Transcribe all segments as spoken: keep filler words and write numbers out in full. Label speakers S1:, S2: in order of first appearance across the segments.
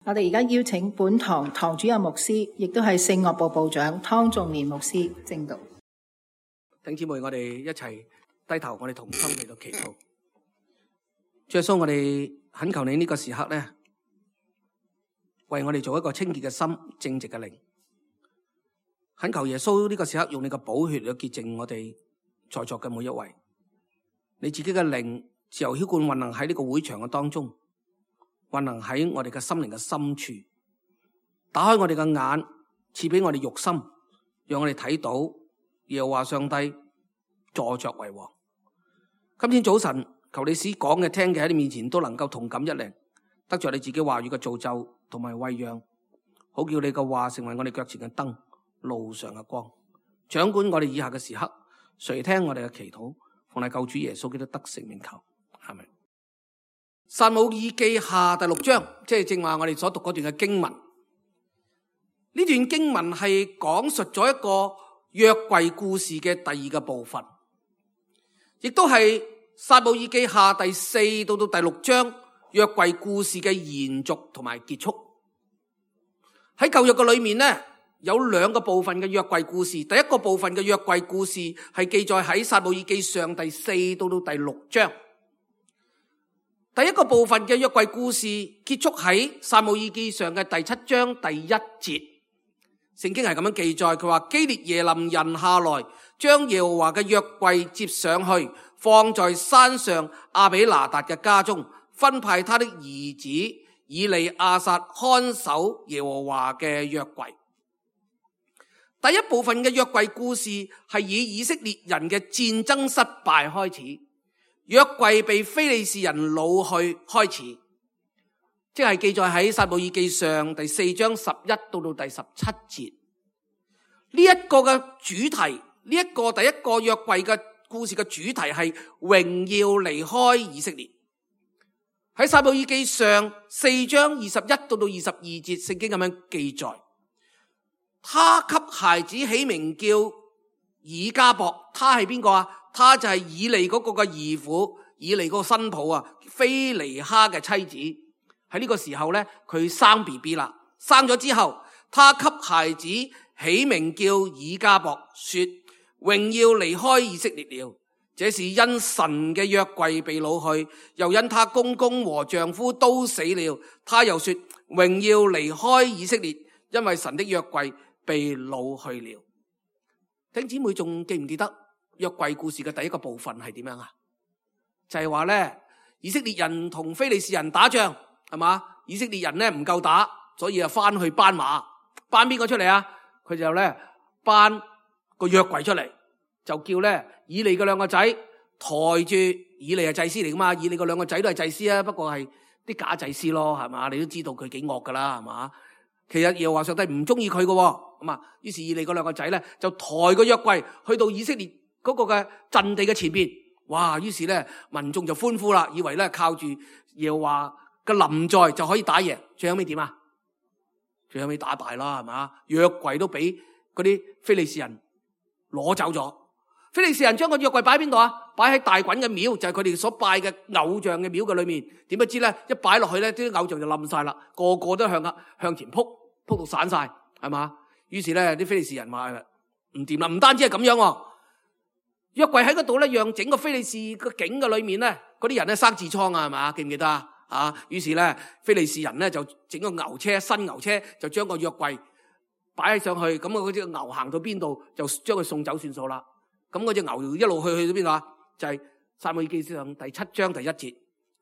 S1: 我哋而家邀請本堂堂主任牧師，亦都係聖樂部部長湯仲年牧師證道。
S2: 弟兄姊妹，我哋一齊低頭，我哋同心嚟到祈禱。主耶穌，我哋懇求你呢個時刻咧，為我哋做一個清潔嘅心、正直嘅靈。懇求耶穌呢個時刻用你嘅寶血嚟潔淨我哋在座嘅每一位。你自己嘅靈自由澆灌運行喺呢個會場嘅當中，運行喺我哋嘅心靈嘅深處，打開我哋嘅眼，賜俾我哋肉心，讓我哋睇到耶和華上帝坐着為王。今天早晨，求你使講嘅聽嘅喺你面前都能夠同感一靈，得着你自己話語嘅造就同埋餵養，好叫你嘅話成為我哋腳前嘅燈，路上嘅光。掌管我哋以下嘅時刻，垂聽我哋嘅祈禱，奉係救主耶穌基督得勝名求，阿們。撒母耳記下第六章，即係正話我哋所讀嗰段嘅經文。呢段經文係講述咗一個約櫃故事嘅第二個部分，亦都係撒母耳記下第四到到第六章約櫃故事嘅延續同埋結束。喺舊約嘅裏面呢，有兩個部分嘅約櫃故事。第一個部分嘅約櫃故事係記載喺撒母耳記上第四到到第六章。第一個部分嘅約櫃故事結束喺撒母耳記上嘅第七章第一節。聖經係咁樣記載，佢話基列耶琳人下來，將耶和華嘅約櫃接上去，放在山上亞比拿達嘅家中，分派他的兒子以利亞撒看守耶和華嘅約櫃。第一部分嘅約櫃故事係以以色列人嘅戰爭失敗開始，約櫃被非利士人擄去開始，即係記載喺撒母耳記上第四章十一到到第十七節。呢一個嘅主題，呢一個第一個約櫃嘅故事嘅主題係榮耀離開以色列。喺撒母耳記上四章二十一到到二十二節，聖經咁樣記載，他給孩子起名叫以迦博。他係邊個啊？他就係以利嗰個嘅兒婦，以利嗰個新抱啊，菲尼哈嘅妻子。喺呢個時候咧，佢生 B B 啦，生咗之後，他給孩子起名叫以迦博，說榮耀離開以色列了。這是因神嘅約櫃被擄去，又因他公公和丈夫都死了。他又說榮耀離開以色列，因為神的約櫃被擄去了。弟兄姊妹仲記唔記得約櫃故事嘅第一個部分係點樣啊？就係話咧，以色列人同非利士人打仗，係嘛？以色列人咧唔夠打，所以啊翻去搬馬，搬邊個出嚟啊？佢就咧搬個約櫃出嚟，就叫咧以利嘅兩個仔抬住，以利係祭司嚟噶嘛，以利嘅兩個仔都係祭司啊，不過係啲假祭司咯，係嘛？你都知道佢幾惡噶啦，係嘛？其實耶和華上帝唔中意佢嘅，咁啊，於是以利嗰兩個仔咧就抬個約櫃去到以色列嗰個嘅陣地嘅前邊，哇！於是咧民眾就歡呼啦，以為咧靠住耶和華嘅臨在就可以打贏。最後尾點啊？最後尾打敗啦，係嘛？約櫃都俾嗰啲非利士人攞走咗。非利士人將個約櫃擺喺邊度啊？擺喺大袞嘅廟，就係佢哋所拜嘅偶像嘅廟嘅裏面。點不知咧，一擺落去咧，啲偶像就冧晒啦，個個都向啊向前撲，撲到散晒，係嘛？於是咧，啲非利士人話唔掂啦，唔單止係咁樣，約櫃喺嗰度咧，讓整個非利士個境嘅裏面咧，嗰啲人咧生痔瘡啊，係嘛？記唔記得啊？啊，於是咧，非利士人咧就整個牛車，新牛車就將個約櫃擺上去，咁啊嗰隻牛行到邊度就將佢送走算數啦。咁嗰隻牛一路去去到邊度啊？就係撒母耳記上第七章第一節，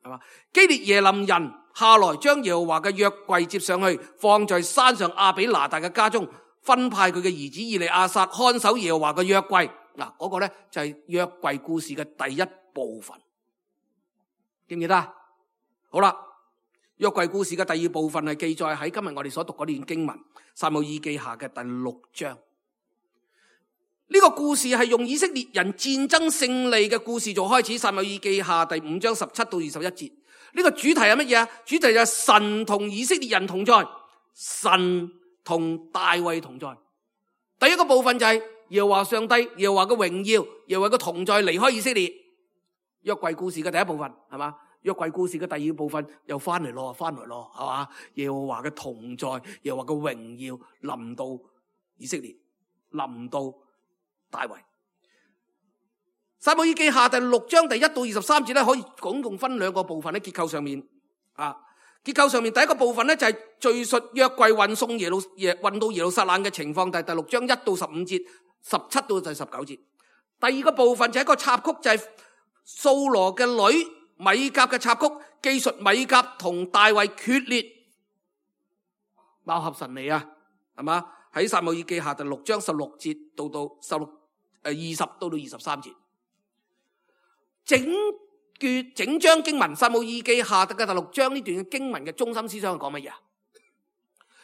S2: 係嘛？基列耶琳人下來，將耶和華嘅約櫃接上去，放在山上亞比拿達嘅家中，分派佢嘅兒子以利亞撒看守耶和華嘅約櫃。嗱，嗰個咧就係約櫃故事嘅第一部分，記唔記得啊？好啦，約櫃故事嘅第二部分係記載喺今日我哋所讀嗰段經文撒母耳記下嘅第六章。呢個故事係用以色列人戰爭勝利嘅故事做開始，撒母耳記下第五章十七到二十一節。呢個主題係乜嘢啊？主題就係神同以色列人同在，神同大衛同在。第一個部分就係耶和華上帝，耶和華嘅榮耀，耶和華嘅同在離開以色列。約櫃故事嘅第一部分係嘛？約櫃故事嘅第二部分又翻嚟咯，翻嚟咯，係嘛？耶和華嘅同在，耶和華嘅榮耀臨到以色列，臨到大衛。撒母耳記下第六章第一到二十三節咧，可以總共分兩個部分喺結構上面啊。結構上面第一個部分咧就係敘述約櫃運送耶路耶運到耶路撒冷嘅情況，第第六章一到十五節，十七到第十九節。第二個部分就係一個插曲，就係掃羅嘅女米甲嘅插曲，記述米甲同大衛決裂，貌合神離啊，係嘛？喺撒母耳記下第六章十六節到到十六誒二十到到二十三節。整段整章經文，撒母耳記下嘅第六章呢段經文嘅中心思想係講乜嘢啊？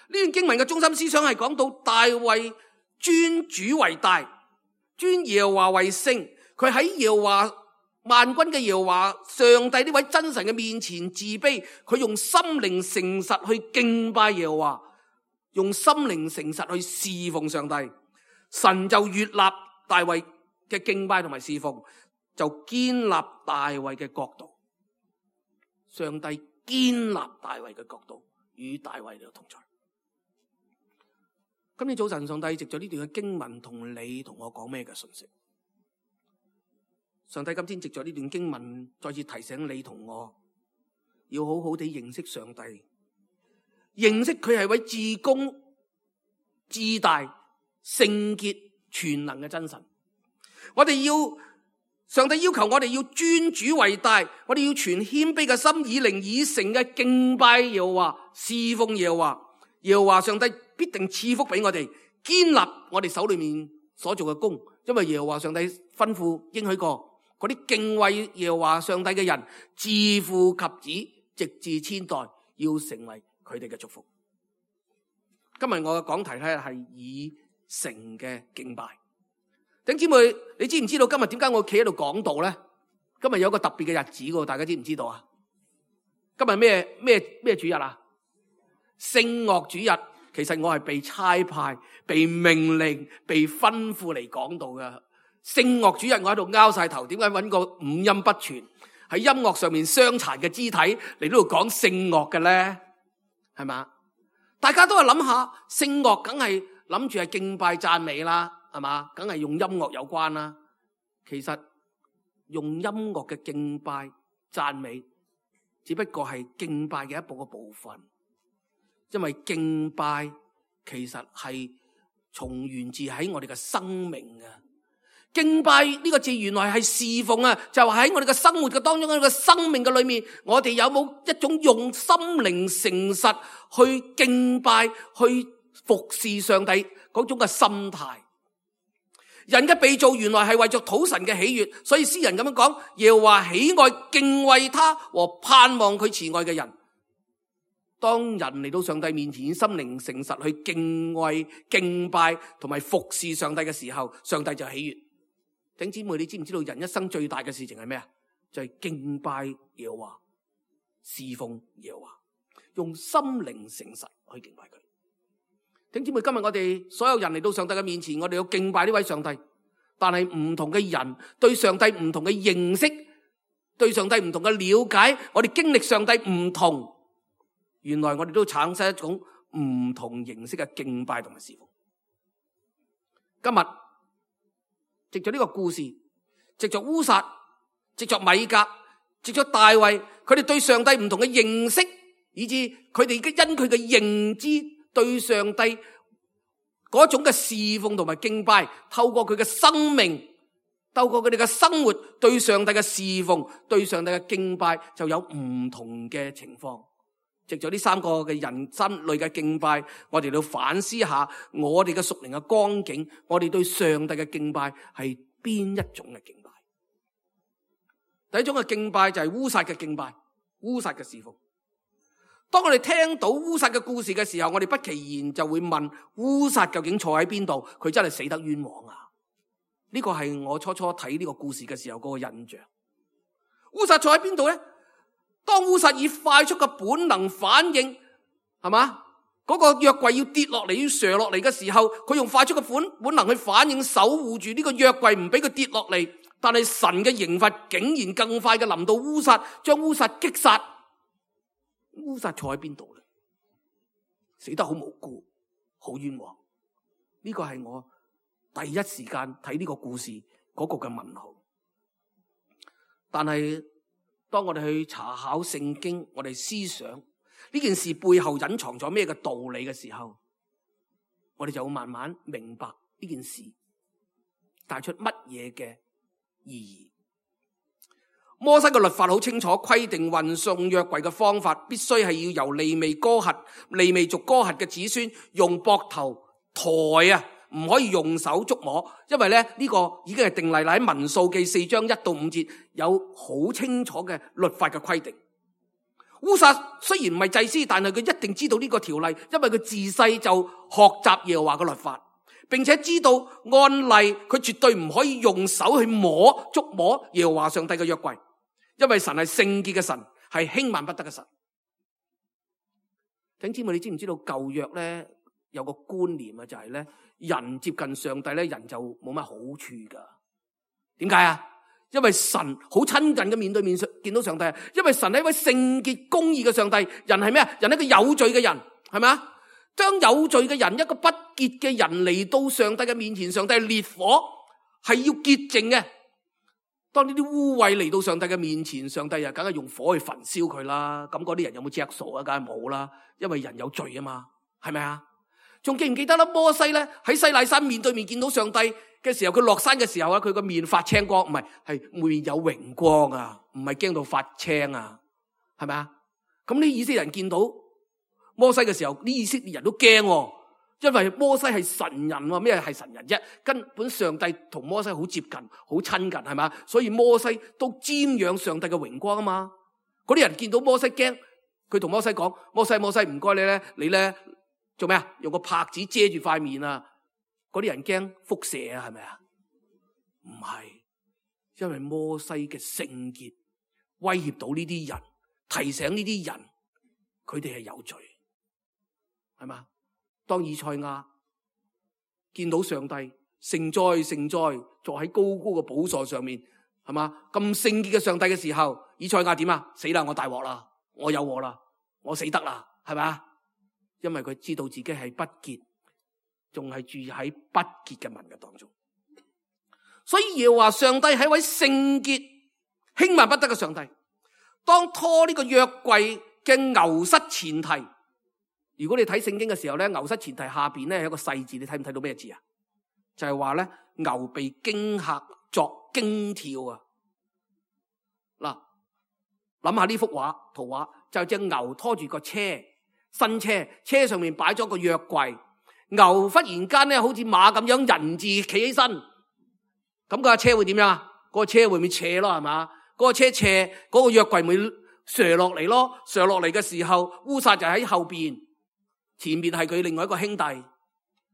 S2: 呢段經文嘅中心思想係講到大衛尊主為大，尊耶和華為聖，佢喺耶和華萬軍嘅耶和華上帝呢位真神嘅面前自卑，佢用心靈誠實去敬拜耶和華，用心靈誠實去侍奉上帝，神就悅納大衛嘅敬拜同埋侍奉，就建立大衛嘅國度。上帝建立大衛嘅國度，與大衛嚟同在。今天早晨，上帝藉咗呢段嘅經文同你同我講咩嘅信息？上帝今天藉咗呢段經文，再次提醒你同我，要好好地認識上帝，認識佢係位至公、至大、聖潔、全能嘅真神。我哋要上帝要求我哋要尊主為大，我哋要存謙卑嘅心，以靈以誠嘅敬拜耶和華，侍奉耶和華。耶和華上帝必定賜福俾我哋，堅立我哋手裏面所做嘅工，因為耶和華上帝吩咐應許過，嗰啲敬畏耶和華上帝嘅人，自父及子，直至千代，要成為佢哋嘅祝福。今日我嘅講題咧係以誠嘅敬拜。弟兄姊妹，你知唔知道今日點解我企喺度講道咧？今日有一個特別嘅日子噶，大家知唔知道啊？今日咩咩咩主日啊？聖樂主日。其實我係被差派、被命令、被吩咐嚟講道嘅。聖樂主日我喺度拗晒頭，點解揾個五音不全喺音樂上面傷殘嘅肢體嚟呢度講聖樂嘅咧？係嘛？大家都係諗下，聖樂梗係諗住係敬拜讚美啦，係嘛？梗係用音樂有關啦。其實用音樂嘅敬拜讚美，只不過係敬拜嘅一部嘅部分。因為敬拜其實係從源自喺我哋嘅生命嘅。敬拜呢個字原來係侍奉啊，就係喺我哋嘅生活嘅當中，喺我哋嘅生命嘅裏面，我哋有冇一種用心靈誠實去敬拜、去服侍上帝嗰種嘅心態？人嘅被造原來係為咗討神嘅喜悅，所以詩人咁樣講，耶和華喜愛敬畏他和盼望佢慈愛嘅人。當人嚟到上帝面前，心靈誠實去敬畏、敬拜同埋服侍上帝嘅時候，上帝就喜悅。弟兄姊妹，你知唔知道人一生最大嘅事情係咩啊？就係、是、敬拜耶和華、侍奉耶和華，用心靈誠實去敬拜佢。弟兄姊妹，今日我哋所有人嚟到上帝嘅面前，我哋要敬拜呢位上帝。但係唔同嘅人對上帝唔同嘅認識，對上帝唔同嘅了解，我哋經歷上帝唔同。原來我哋都產生一種唔同形式嘅敬拜同埋侍奉。今日藉着呢個故事，藉着烏撒，藉着米甲，藉着大衛，佢哋對上帝唔同嘅認識，以致佢哋因佢嘅認知對上帝嗰種嘅侍奉同埋敬拜，透過佢嘅生命，透過佢哋嘅生活對上帝嘅侍奉，對上帝嘅敬拜，就有唔同嘅情況。藉咗呢三個嘅人生類嘅敬拜，我哋要反思下我哋嘅屬靈嘅光景，我哋對上帝嘅敬拜係邊一種嘅敬拜？第一種嘅敬拜就係烏撒嘅敬拜，烏撒嘅侍奉。當我哋聽到烏撒嘅故事嘅時候，我哋不其然就會問：烏撒究竟坐喺邊度？佢真係死得冤枉啊！呢個係我初初睇呢個故事嘅時候嗰個印象。烏撒坐喺邊度咧？當烏撒以快速嘅本能反應，係嘛？嗰個約櫃要跌落嚟，要瀡落嚟嘅時候，佢用快速嘅本本能去反應，守護住呢個約櫃，唔俾佢跌落嚟。但係神嘅刑罰竟然更快嘅臨到烏撒，將烏撒擊殺。烏撒坐喺邊度咧？死得好無辜，好冤枉。呢個係我第一時間睇呢個故事嗰個嘅問號。但係當我哋去查考聖經，我哋思想呢件事背後隱藏咗咩嘅道理嘅時候，我哋就會慢慢明白呢件事帶出乜嘢嘅意義。摩西嘅律法好清楚規定，運送約櫃嘅方法必須係要由利未哥轄、利未族哥轄嘅子孫用膊頭抬啊，唔可以用手觸摸，因為咧呢個已經係定例啦。喺民數記四章一到五節有好清楚嘅律法嘅規定。烏撒雖然唔係祭司，但係佢一定知道呢個條例，因為佢自細就學習耶和華嘅律法，並且知道按例佢絕對唔可以用手去摸觸摸耶和華上帝嘅約櫃，因為神係聖潔嘅神，係輕慢不得嘅神。弟兄姊妹，你知唔知道舊約咧有個觀念啊，就係咧人接近上帝咧，人就冇乜好處噶。點解啊？因為神好親近嘅面對面見到上帝，因為神係一位聖潔公義嘅上帝。人係咩啊？人係一個有罪嘅人，係咪啊？將有罪嘅人，一個不潔嘅人嚟到上帝嘅面前，上帝係烈火，係要潔淨嘅。當呢啲污穢嚟到上帝嘅面前，上帝又梗係用火去焚燒佢啦。咁嗰啲人有冇着數啊？梗係冇啦，因為人有罪啊嘛，係咪啊？仲記唔記得啦？摩西咧喺西奈山面對面見到上帝嘅時候，佢落山嘅時候啊，佢個面發青光，唔係，係面有榮光啊，唔係驚到發青啊，係咪啊？咁呢以色列人見到摩西嘅時候，呢以色列人都驚，因為摩西係神人喎，咩係神人啫？根本上帝同摩西好接近，好親近，係咪？所以摩西都瞻仰上帝嘅榮光啊嘛。嗰啲人見到摩西驚，佢同摩西講：摩西，摩西，唔該你咧，你咧做咩啊？用個帕子遮住塊面啊！嗰啲人驚輻射啊，係咪啊？唔係，因為摩西嘅聖潔威脅到呢啲人，提醒呢啲人佢哋係有罪，係嘛？當以賽亞見到上帝聖哉聖哉坐喺高高嘅寶座上面，係嘛？咁聖潔嘅上帝嘅時候，以賽亞點啊？死啦！我大鑊啦！我有禍啦！我死得啦！係咪？因為佢知道自己係不潔，仲係住喺不潔嘅民嘅當中，所以耶和華上帝係一位聖潔輕慢不得嘅上帝。當拖呢個約櫃嘅牛膝前蹄，如果你睇聖經嘅時候咧，牛膝前蹄下邊咧有一個細字，你睇唔睇到咩字啊？就係話咧牛被驚嚇作驚跳啊！嗱，諗下呢幅畫圖畫，就隻牛拖住個車。新車，車上面擺咗個約櫃，牛忽然間咧好似馬咁樣人字企起身，咁個車會點樣啊？嗰個車會唔會斜咯？係嘛？嗰個車斜，嗰個約櫃咪瀡落嚟咯？瀡落嚟嘅時候，烏撒就喺後邊，前面係佢另外一個兄弟。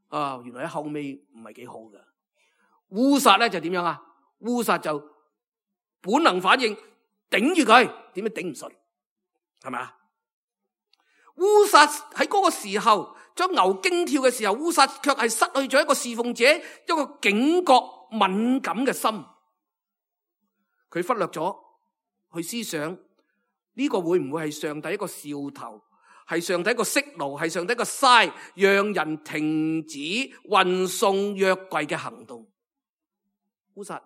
S2: 啊，原來喺後尾唔係幾好嘅。烏撒咧就點樣啊？烏撒就本能反應頂住佢，點解頂唔順？係咪啊？烏撒喺嗰個時候將牛驚跳嘅時候，烏撒卻係失去咗一個侍奉者一個警覺敏感嘅心，佢忽略咗去思想呢個會唔會係上帝一個兆頭，係上帝一個息怒，係上帝一個嘥，讓人停止運送約櫃嘅行動。烏撒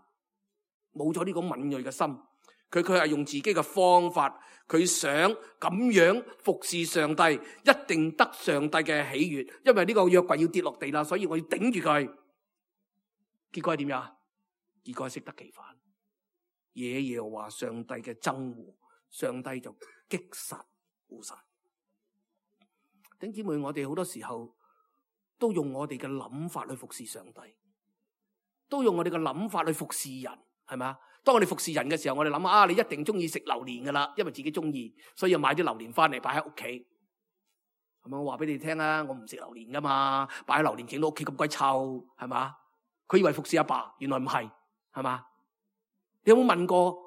S2: 冇咗呢個敏銳嘅心，佢佢係用自己嘅方法。佢想咁樣服侍上帝，一定得上帝嘅喜悅，因為呢個約櫃要跌落地啦，所以我要頂住佢。結果係點樣？結果係適得其反，惹耶和華上帝嘅憎惡，上帝就擊殺烏撒。弟兄姊妹，我哋好多時候都用我哋嘅諗法去服侍上帝，都用我哋嘅諗法去服侍人，係咪啊？當我哋服侍人嘅時候，我哋諗啊，你一定中意食榴蓮噶啦，因為自己中意，所以要買啲榴蓮翻嚟擺喺屋企。係咪？我話俾你聽啊，我唔食榴蓮噶嘛，擺喺榴蓮整到屋企咁鬼臭，係嘛？佢以為服侍阿爸，原來唔係，係嘛？你有冇問過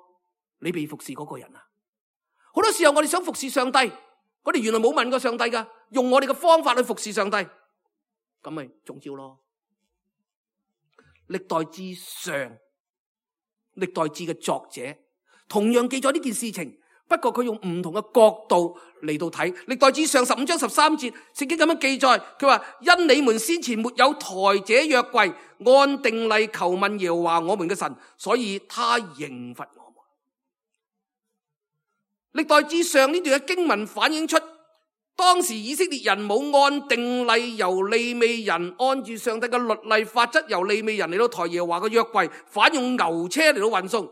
S2: 你被服侍嗰個人啊？好多時候我哋想服侍上帝，我哋原來冇問過上帝噶，用我哋嘅方法去服侍上帝，咁咪中招咯。歷代志上歷代志嘅作者同樣記咗呢件事情，不過佢用唔同嘅角度嚟到睇。歷代志上十五章十三節，聖經咁樣記載，佢話因你們先前沒有抬這約櫃，按定例求問耶和華我們嘅神，所以他刑罰我們。歷代志上呢段嘅經文反映出，當時以色列人冇按定例由利未人按住上帝嘅律例法則，由利未人嚟到抬耶和華嘅約櫃，反用牛車嚟到運送。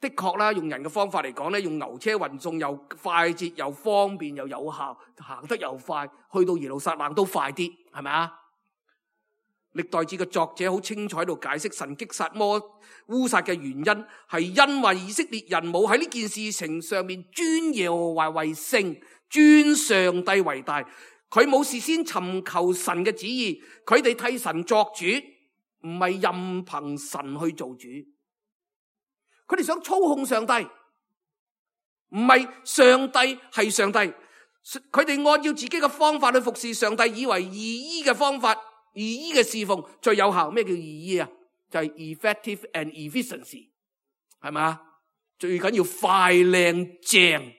S2: 的確啦，用人嘅方法嚟講咧，用牛車運送又快捷又方便又有效，行得又快，去到耶路撒冷都快啲，係咪啊？歷代志嘅作者好清楚喺度解釋神擊殺摩烏撒嘅原因，係因為以色列人冇喺呢件事情上面尊耶和華為聖，尊上帝為大，佢冇事先尋求神嘅旨意，佢哋替神作主，唔係任憑神去做主。佢哋想操控上帝，唔係上帝係上帝。佢哋按照自己嘅方法去服侍上帝，以為義醫嘅方法、義醫嘅侍奉最有效。咩叫義醫啊？就係 effective and efficiency， 係咪啊？最緊要快靚正，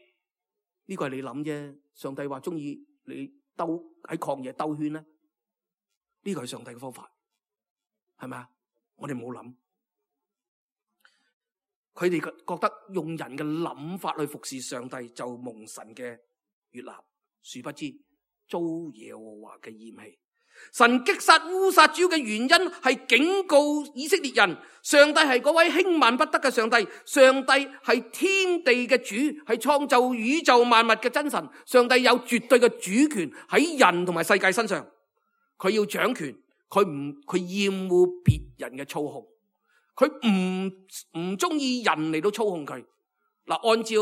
S2: 呢個係你諗啫。上帝話中意你兜喺曠野兜圈咧，呢個係上帝嘅方法，係咪啊？我哋冇諗。佢哋覺得用人嘅諗法去服侍上帝就蒙神嘅悅納，殊不知遭耶和華嘅厭棄。神擊殺烏撒主要嘅原因係警告以色列人，上帝係嗰位輕慢不得嘅上帝，上帝係天地嘅主，係創造宇宙萬物嘅真神。上帝有絕對嘅主權喺人同埋世界身上，佢要掌權，佢唔佢厭惡別人嘅操控。佢唔唔中意人嚟到操控佢。嗱，按照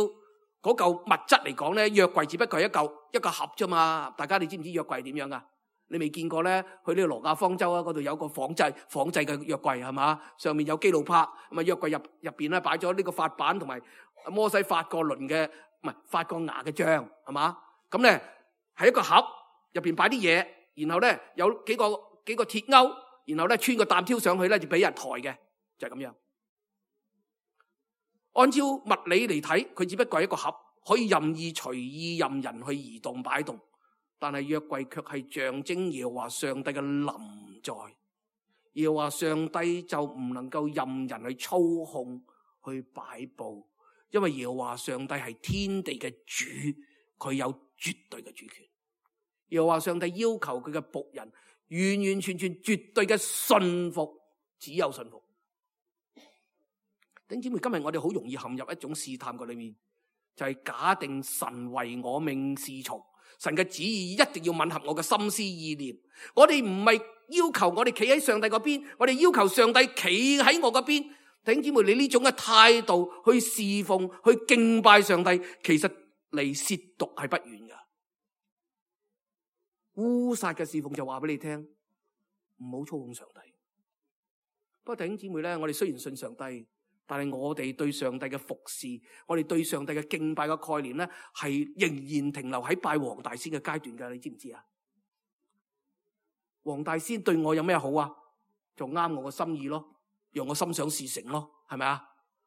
S2: 嗰嚿物質嚟講咧，約櫃只不過係一嚿一個盒啫嘛。大家你知唔知約櫃點樣噶？你未見過咧？去呢個羅亞方舟啊，嗰度有個仿製仿製嘅約櫃係嘛？上面有基路伯，咁啊約櫃入入邊咧擺咗呢個法版同埋摩西發過輪嘅唔係發過芽嘅杖係嘛？咁咧係一個盒入邊擺啲嘢，然後咧有幾個幾個鐵鈎，然後咧穿個擔挑上去咧就俾人抬嘅。就係咁樣，按照物理嚟睇，佢只不過係一個盒，可以任意隨意任人去移動擺動。但係約櫃卻係象徵耶和華上帝嘅臨在，耶和華上帝就唔能夠任人去操控去擺布，因為耶和華上帝係天地嘅主，佢有絕對嘅主權。耶和華上帝要求佢嘅僕人完完全全絕對嘅信服，只有信服。弟兄姊妹，今日我哋好容易陷入一種試探嘅裏面，就係、是、假定神為我命是從，神嘅旨意一定要吻合我嘅心思意念。我哋唔係要求我哋企喺上帝嗰邊，我哋要求上帝企喺我嗰邊。弟兄姊妹，你呢種嘅態度去侍奉、去敬拜上帝，其實離褻瀆係不遠噶。烏撒嘅侍奉就話俾你聽，唔好操控上帝。不過弟兄姊妹咧，我哋雖然信上帝，但係我哋對上帝嘅服侍，我哋對上帝嘅敬拜嘅概念咧，係仍然停留喺拜黃大仙嘅階段噶，你知唔知啊？黃大仙對我有咩好啊？就啱我個心意咯，讓我心想事成咯，係咪啊？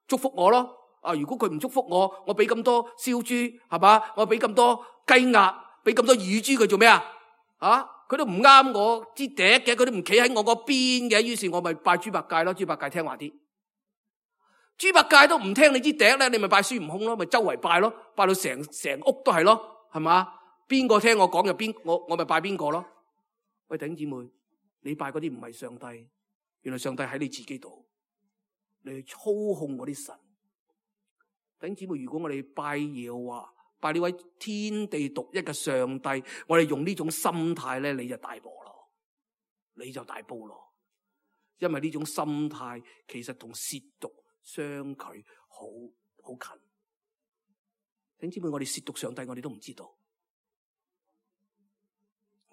S2: 祝福我咯。啊，如果佢唔祝福我，我俾咁多燒豬，係嘛？我俾咁多雞鴨，俾咁多乳豬，佢做咩啊？啊，佢都唔啱我支笛嘅，佢都唔企喺我嗰邊嘅，於是我咪拜豬八戒咯。豬八戒聽話啲。豬八戒都唔聽你支笛咧，你咪拜孫悟空咯，咪周圍拜咯，拜到成成屋都係咯，係嘛？邊個聽我講就邊我我咪拜邊個咯。喂，弟兄姊妹，你拜嗰啲唔係上帝，原來上帝喺你自己度，你去操控嗰啲神。弟兄姊妹，如果我哋拜耶和華，拜呢位天地獨一嘅上帝，我哋用呢種心態咧，你就大鑊咯，你就大煲咯，因為呢種心態其實同褻瀆相距好好近。弟兄姊妹，我哋褻瀆上帝，我哋都唔知道。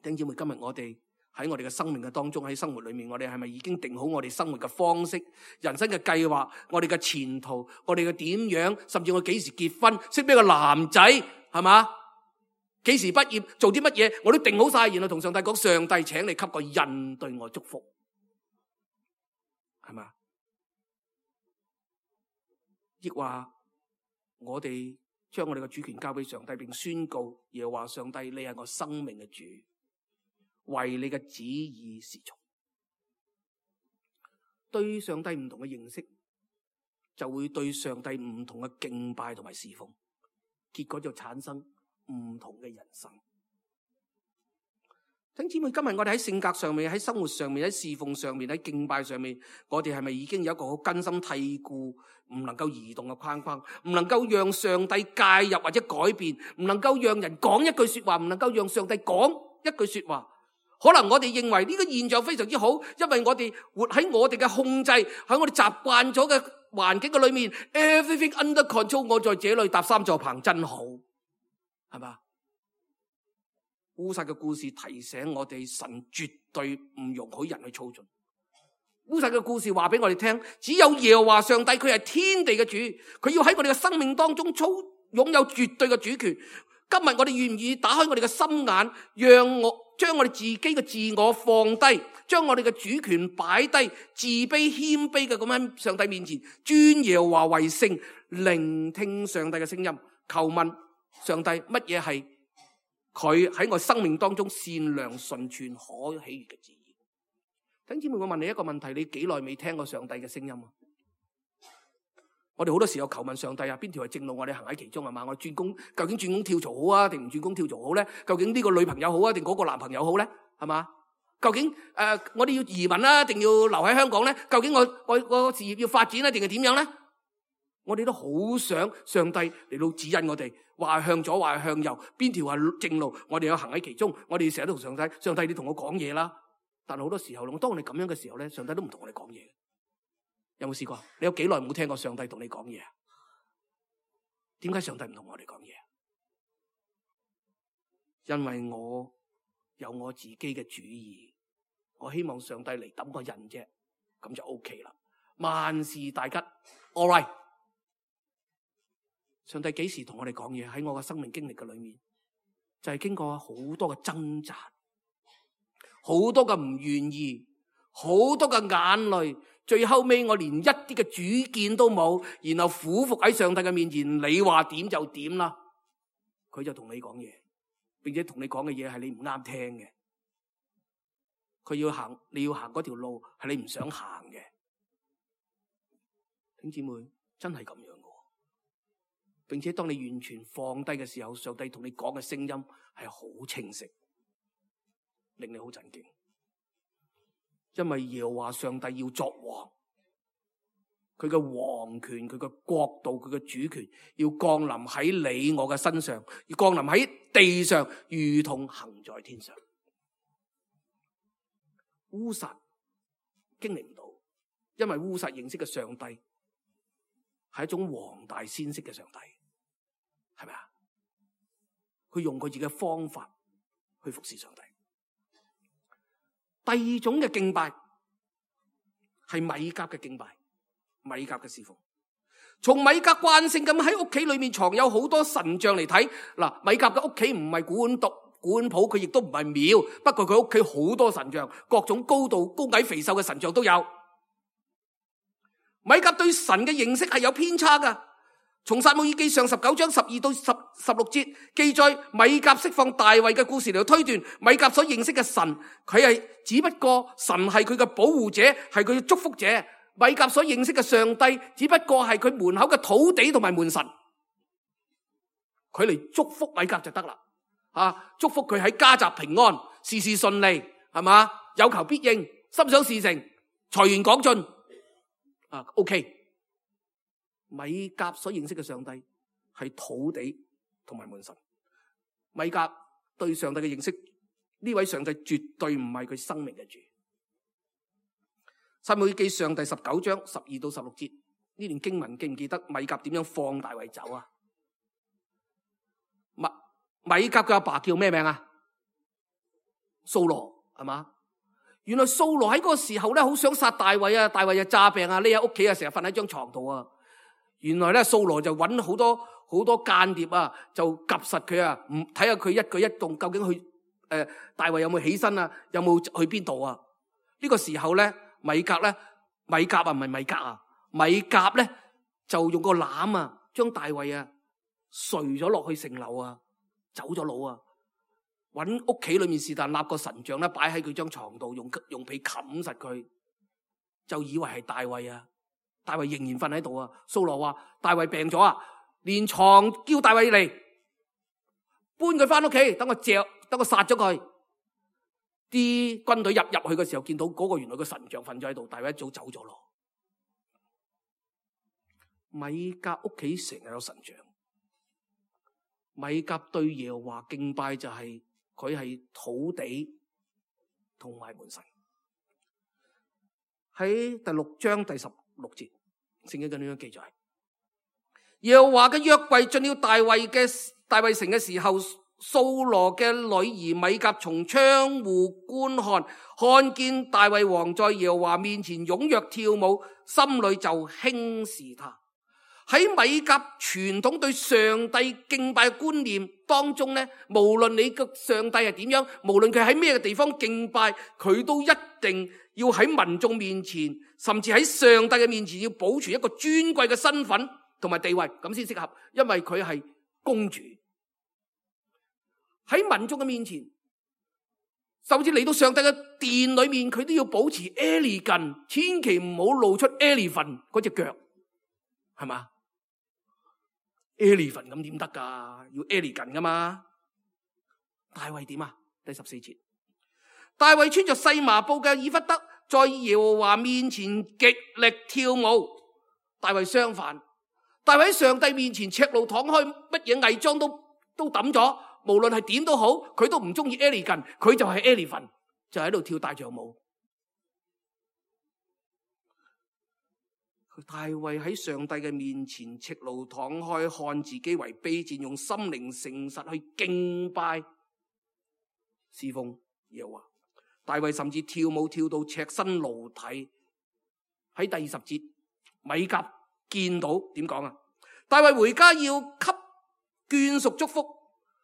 S2: 弟兄姊妹，今日我哋喺我哋嘅生命嘅當中，喺生活裏面，我哋係咪已經定好我哋生活嘅方式、人生嘅計劃、我哋嘅前途、我哋嘅點樣，甚至我幾時結婚、識邊個男仔，係嘛？幾時畢業、做啲乜嘢，我都定好晒，然後同上帝講：上帝，請你給個印對我祝福，係嘛？亦話我哋將我哋嘅主權交俾上帝，並宣告耶和華上帝，你係我生命嘅主，為你嘅旨意是從。對上帝唔同嘅認識，就會對上帝唔同嘅敬拜同埋侍奉，結果就產生唔同嘅人生。弟兄姊妹，今日我哋喺性格上面、喺生活上面、喺侍奉上面、喺敬拜上面，我哋係咪已經有一個好根深蒂固、唔能夠移動嘅框框，唔能夠讓上帝介入或者改變，唔能夠讓人講一句說話，唔能夠讓上帝講一句說話？可能我哋認為呢個現象非常之好，因為我哋活喺我哋嘅控制，喺我哋習慣咗嘅環境嘅裏面 ，everything under control， 我在這裏搭三座棚真好，係嘛？烏撒嘅故事提醒我哋，神絕對唔容許人去操縱。烏撒嘅故事話俾我哋聽，只有耶和華上帝，佢係天地嘅主，佢要喺我哋嘅生命當中操擁有絕對嘅主權。今日我哋願唔願意打開我哋嘅心眼，讓我將我哋自己嘅自我放低，將我哋嘅主權擺低，自卑謙卑嘅咁喺上帝面前尊耶和華為聖，聆聽上帝嘅聲音，求問上帝乜嘢係佢喺我生命當中善良純全可喜悅嘅旨意。弟兄姊妹，我問你一個問題，你幾耐未聽過上帝嘅聲音啊？我哋好多時候求問上帝啊，邊條係正路，我哋行喺其中係嘛？我轉工究竟轉工跳槽好啊，定唔轉工跳槽好咧？究竟呢個女朋友好啊，定嗰個男朋友好咧？係嘛？究竟誒、呃，我哋要移民啦，定要留喺香港咧？究竟我我我事業要發展咧，定係點樣咧？我哋都好想上帝嚟到指引我哋，話向左，話向右，邊條係正路，我哋要行喺其中。我哋成日都同上帝，上帝你同我講嘢啦。但係好多時候，當我哋咁樣嘅時候咧，上帝都唔同我哋講嘢。有冇試過？你有幾耐冇聽過上帝同你講嘢啊？點解上帝唔同我哋講嘢？因為我有我自己嘅主意，我希望上帝嚟揼個人啫，咁就 OK 啦。萬事大吉 ，all right。上帝幾時同我哋講嘢？喺我嘅生命經歷嘅裏面，就係經過好多嘅掙扎，好多嘅唔願意，好多嘅眼淚，最後尾我連一啲嘅主見都冇，然後俯伏喺上帝嘅面前，你話點就點啦。佢就同你講嘢，並且同你講嘅嘢係你唔啱聽嘅。佢要行，你要行嗰條路係你唔想行嘅。弟兄姊妹，真係咁樣嘅。並且當你完全放低嘅時候，上帝同你講嘅聲音係好清晰，令你好震驚。因為耶和華上帝要作王，佢嘅王權、佢嘅國度、佢嘅主權要降臨喺你我嘅身上，要降臨喺地上，如同行在天上。烏撒經歷唔到，因為烏撒認識嘅上帝係一種黃大仙式嘅上帝，係咪啊？佢用佢自己嘅方法去服侍上帝。第二種嘅敬拜係米甲嘅敬拜，米甲嘅侍奉。從米甲慣性咁喺屋企裏面藏有好多神像嚟睇，嗱，米甲嘅屋企唔係古玩獨古玩鋪，佢亦都唔係廟，不過佢屋企好多神像，各種高度、高矮、肥瘦嘅神像都有。米甲對神嘅認識係有偏差噶。從撒母耳記上十九章十二到十十六節記載，米甲釋放大衛嘅故事嚟到推斷，米甲所認識嘅神，佢係只不過神係佢嘅保護者，係佢嘅祝福者。米甲所認識嘅上帝，只不過係佢門口嘅土地同埋門神，佢嚟祝福米甲就得啦。啊，祝福佢喺家宅平安，事事順利，係嘛？有求必應，心想事成，財源廣進。啊 ，OK。米甲所認識嘅上帝係土地同埋門神。米甲對上帝嘅認識，呢位上帝絕對唔係佢生命嘅主。撒母耳記上第十九章十二到十六節呢段經文，記唔記得米甲點樣放大衛走啊？米米甲嘅阿爸叫咩名啊？掃羅，係嘛？原來掃羅喺嗰個時候咧，好想殺大衛啊！大衛又詐病啊，匿喺屋企啊，成日瞓喺張床度啊。原來咧，掃羅就揾好多好多間諜啊，就夾實佢啊，唔睇下佢一舉一動，究竟去誒、呃、大衛有冇起身啊，有冇去邊度啊？呢、這個時候咧，米甲咧，米甲啊唔係米甲啊，米甲咧就就用個籃啊，將大衛啊垂咗落去城樓啊，走咗佬啊，搵屋企裏面是但立個神像咧，擺喺佢張床度，用用被冚實佢，就以為係大衛啊。大衛仍然瞓喺度啊。掃羅話大衛病咗啊，連床叫大衛嚟搬佢翻屋企，等我嚼，等我殺咗佢。啲軍隊入入去嘅時候，見到嗰個原來個神像瞓咗喺度，大衛一早走咗咯。米甲屋企成日有神像，米甲對耶和華敬拜就係佢係土地同埋門神。喺第六章第十六節，聖經咁樣記載：耶和華嘅約櫃進了大衛嘅大衛城嘅時候，掃羅嘅女兒米甲從窗戶觀看，看見大衛王在耶和華面前踴躍跳舞，心裏就輕視他。喺米甲傳統對上帝敬拜觀念當中咧，無論你嘅上帝係點樣，無論佢喺咩嘅地方敬拜，佢都一定要喺民眾面前，甚至喺上帝嘅面前，要保持一個尊貴嘅身份同埋地位，咁先適合。因為佢係公主，喺民眾嘅面前，甚至嚟到上帝嘅殿裏面，佢都要保持 elegant， 千祈唔好露出 elephant 嗰隻腳，係嘛？ elephant 咁點得噶？要 elegant 噶嘛？大衛點啊？第十四節，大衛穿着細麻布嘅以弗得，在耶和華面前極力跳舞。大衛相反，大衛喺上帝面前赤露敞開，乜嘢偽裝都都抌咗，無論係點都好，佢都唔中意 elegant， 佢就係 elephant， 就喺度跳大象舞。大衛喺上帝嘅面前赤露敞開，看自己為卑賤，用心靈誠實去敬拜侍奉耶和華。大衛甚至跳舞跳到赤身露體。喺第二十節，米甲見到點講啊？大衛回家要給眷屬祝福，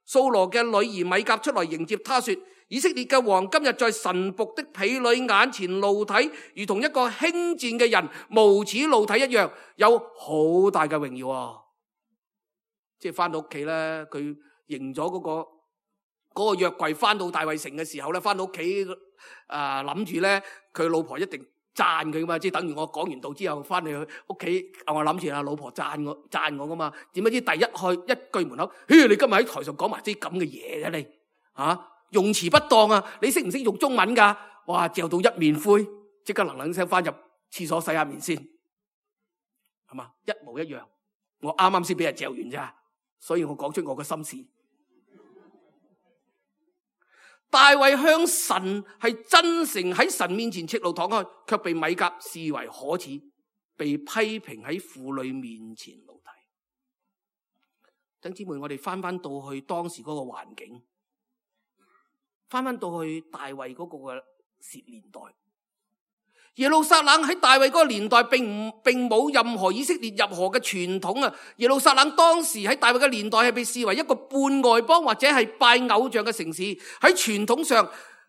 S2: 掃羅嘅女兒米甲出來迎接他，說：以色列嘅王今日在臣僕的婢女眼前露體，如同一個輕賤嘅人無恥露體一樣，有好大嘅榮耀啊！即係翻到屋企咧，佢迎咗嗰個嗰、嗰個約櫃翻到大衛城嘅時候咧，翻到屋企啊諗住咧，佢老婆一定讚佢噶嘛，即係等於我講完道之後翻嚟屋企，我諗住啊老婆讚我讚我噶嘛，點不知第一開一句門口，嘿，你今日喺台上講埋啲咁嘅嘢嘅你啊！用詞不當啊！你識唔識用中文噶？哇！嚼到一面灰，即刻能冷聲翻入廁所洗下面先，係嘛？一模一樣。我啱啱先俾人嚼完咋，所以我講出我嘅心事。大衛向神係真誠喺神面前赤露敞開，卻被米甲視為可恥，被批評喺婦女面前露體。弟兄姊妹，我哋翻翻到去當時嗰個環境。翻翻到去大衛嗰個嘅年代，耶路撒冷喺大衛嗰個年代並唔並冇任何以色列任何嘅傳統啊！耶路撒冷當時喺大衛嘅年代係被視為一個半外邦或者係拜偶像嘅城市。喺傳統上，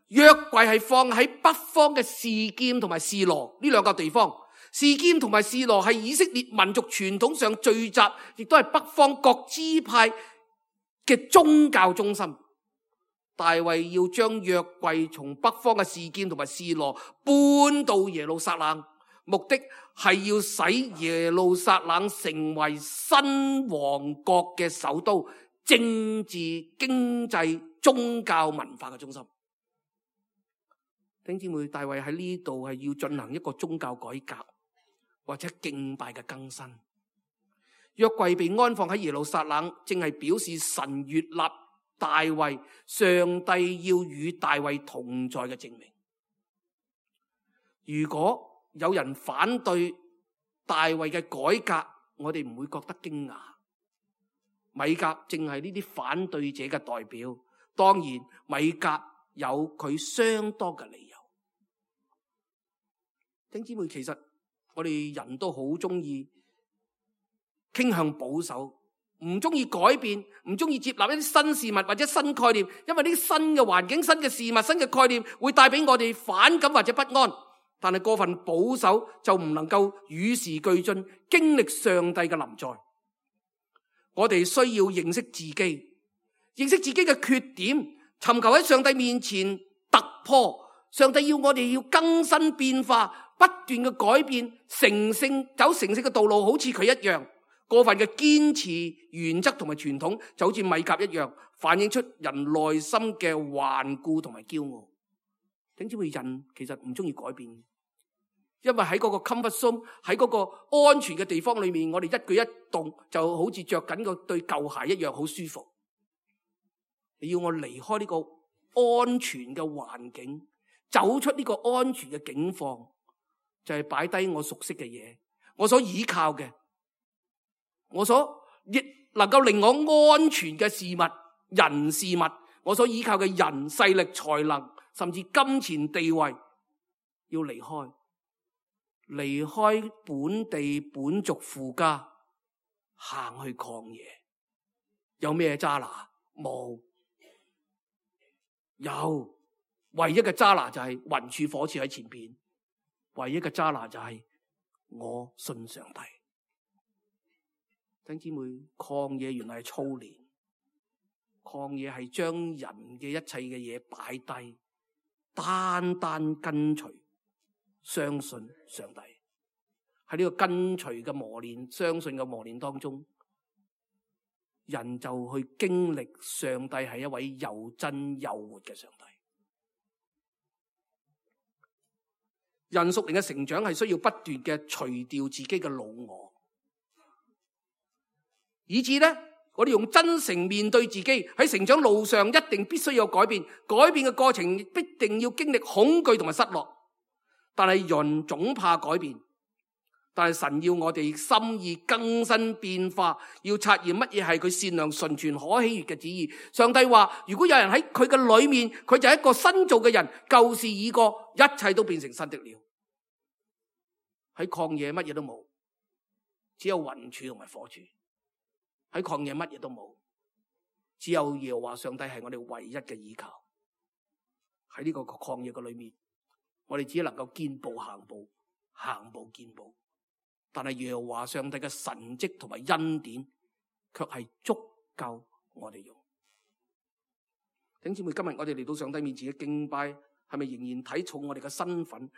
S2: 約櫃係放喺北方嘅示劍同埋示羅呢兩個地方。示劍同埋示羅係以色列民族傳統上聚集，亦都係北方各支派嘅宗教中心。大衛要將約櫃從北方嘅示劍同埋示羅搬到耶路撒冷，目的係要使耶路撒冷成為新王國嘅首都，政治、經濟、宗教、文化嘅中心。弟兄姊妹，大衛喺呢度係要進行一個宗教改革或者敬拜嘅更新。約櫃被安放喺耶路撒冷，正係表示神悅納大衛，上帝要與大衛同在嘅證明。如果有人反對大衛嘅改革，我哋唔會覺得驚訝。米甲正係呢啲反對者嘅代表，當然米甲有佢相當嘅理由。弟兄姊妹，其實我哋人都好中意傾向保守，唔中意改變，唔中意接納一啲新事物或者新概念，因為呢啲新嘅環境、新嘅事物、新嘅概念會帶俾我哋反感或者不安。但係過分保守就唔能夠與時俱進，經歷上帝嘅臨在。我哋需要認識自己，認識自己嘅缺點，尋求喺上帝面前突破。上帝要我哋要更新變化，不斷嘅改變，成聖走成聖嘅道路，好似佢一樣。過分嘅堅持原則同埋傳統，就好似米甲一樣，反映出人內心嘅頑固同埋驕傲。點知會人其實唔中意改變，因為喺嗰個 comfort zone， 喺嗰個安全嘅地方裏面，我哋一舉一動就好似着緊個對舊鞋一樣，好舒服。你要我離開呢個安全嘅環境，走出呢個安全嘅境況，就係擺低我熟悉嘅嘢，我所依靠嘅，我所亦能夠令我安全嘅事物、人事物，我所依靠嘅人、勢力、才能，甚至金錢地位，要離開，離開本地本族父家，行去曠野。有咩揸拿？冇。有，唯一嘅揸拿就係雲柱火柱喺前邊，唯一嘅揸拿就係我信上帝。弟兄姊妹，曠野原來係操練，曠野係將人嘅一切嘅嘢擺低，單單跟隨相信上帝。喺呢個跟隨嘅磨練、相信嘅磨練當中，人就去經歷上帝係一位又真又活嘅上帝。人屬靈嘅成長係需要不斷嘅除掉自己嘅老我，以致咧，我哋用真誠面對自己。喺成長路上一定必須有改變，改變嘅過程必定要經歷恐懼同埋失落。但係人總怕改變，但係神要我哋心意更新變化，要察驗乜嘢係佢善良純全可喜悅嘅旨意。上帝話，如果有人喺佢嘅裏面，佢就係一個新造嘅人，舊事已過，一切都變成新的了。喺曠野乜嘢都冇，只有雲柱同埋火柱。喺曠野乜嘢都冇，只有耶和華上帝係我哋唯一嘅依靠。喺呢個曠野嘅裏面，我哋只能夠見步行步，行步見步。但係耶和華上帝嘅神蹟同埋恩典，卻係足夠我哋用。弟兄姊妹，今日我哋嚟到上帝面前嘅敬拜，係咪仍然睇重我哋嘅身份、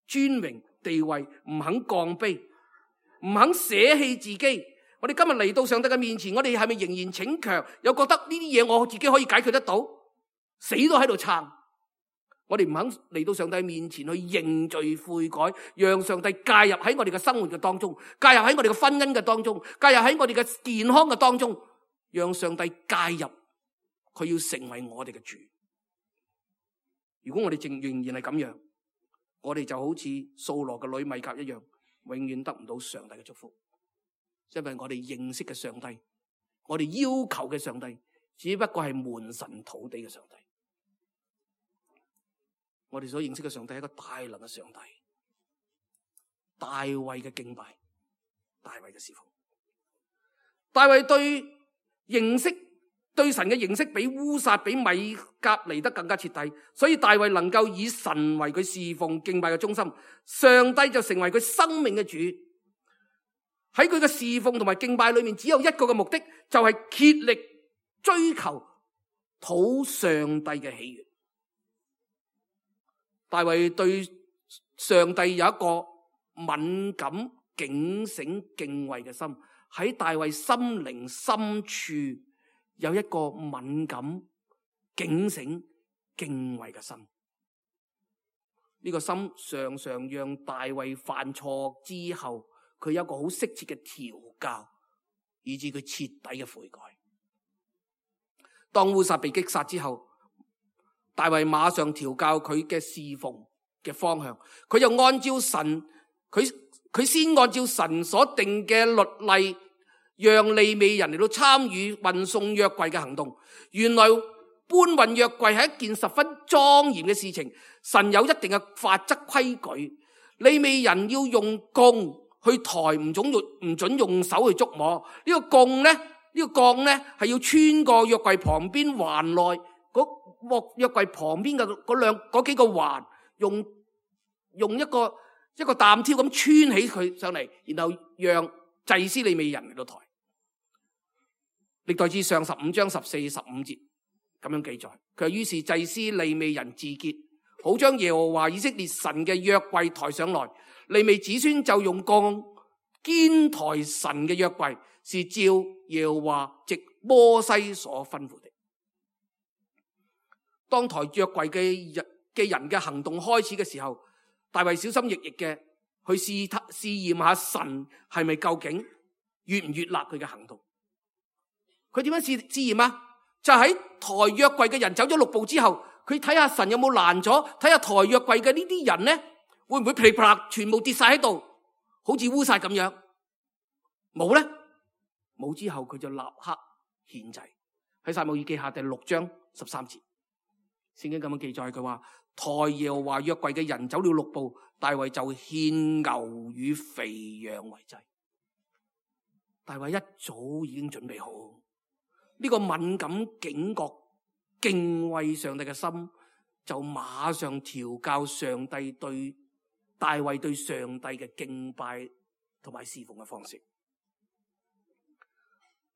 S2: 尊榮、地位，唔肯降卑，唔肯捨棄自己？我哋今日嚟到上帝嘅面前，我哋係咪仍然逞強，又覺得呢啲嘢我自己可以解決得到，死都喺度撐？我哋唔肯嚟到上帝面前去認罪悔改，讓上帝介入喺我哋嘅生活嘅當中，介入喺我哋嘅婚姻嘅當中，介入喺我哋嘅健康嘅當中，讓上帝介入，佢要成為我哋嘅主。如果我哋仍仍然係咁樣，我哋就好似掃羅嘅女米甲一樣，永遠得唔到上帝嘅祝福。因為我哋認識嘅上帝，我哋要求嘅上帝，只不過係門神土地嘅上帝。我哋所認識嘅上帝係一個大能嘅上帝，大衛嘅敬拜，大衛嘅侍奉。大衛對認識對神嘅認識比烏撒比米甲嚟得更加徹底，所以大衛能夠以神為佢侍奉敬拜嘅中心，上帝就成為佢生命嘅主。喺佢嘅侍奉同埋敬拜裏面，只有一個嘅目的，就係竭力追求討上帝嘅喜悅。大衛對上帝有一個敏感、警醒、敬畏嘅心，喺大衛心靈深處有一個敏感、警醒、敬畏嘅心。呢個心常常讓大衛犯錯之後，佢有一個好適切嘅調教，以致佢徹底嘅悔改。當烏撒被擊殺之後，大衛馬上調教佢嘅侍奉嘅方向，佢就按照神，佢佢先按照神所定嘅律例，讓利未人嚟到參與運送約櫃嘅行動。原來搬運約櫃係一件十分莊嚴嘅事情，神有一定嘅法則規矩，利未人要用弓去抬，唔准用唔准用手去捉摸。呢個弓咧，呢個槓咧係要穿過約櫃旁邊環內嗰約櫃旁邊嘅嗰兩嗰幾個環，用用一個一個擔挑咁穿起佢上嚟，然後讓祭司利未人嚟到抬。歷代志上十五章十四十五節咁樣記載，佢話於是祭司利未人自潔，好將耶和華以色列神嘅約櫃抬上來。利未子孫就用鋼肩抬神嘅約櫃，是照耶和華藉摩西所吩咐的。當抬約櫃嘅人嘅人嘅行動開始嘅時候，大衛小心翼翼嘅去試試驗下神係咪究竟悅唔悅納佢嘅行動。佢點樣試試驗啊？就喺抬約櫃嘅人走咗六步之後，佢睇下神有冇攔咗，睇下抬約櫃嘅呢啲人呢，會唔會噼里啪啦全部跌晒喺度，好似烏晒咁樣？冇咧，冇之後佢就立刻獻祭。喺撒母耳記下第六章十三節，聖經咁樣記載，佢話抬耶和華約櫃嘅人走了六步，大衛就獻牛與肥羊為祭。大衛一早已經準備好。呢個敏感警覺敬畏上帝嘅心，就馬上調教上帝對大衛對上帝嘅敬拜同埋侍奉嘅方式。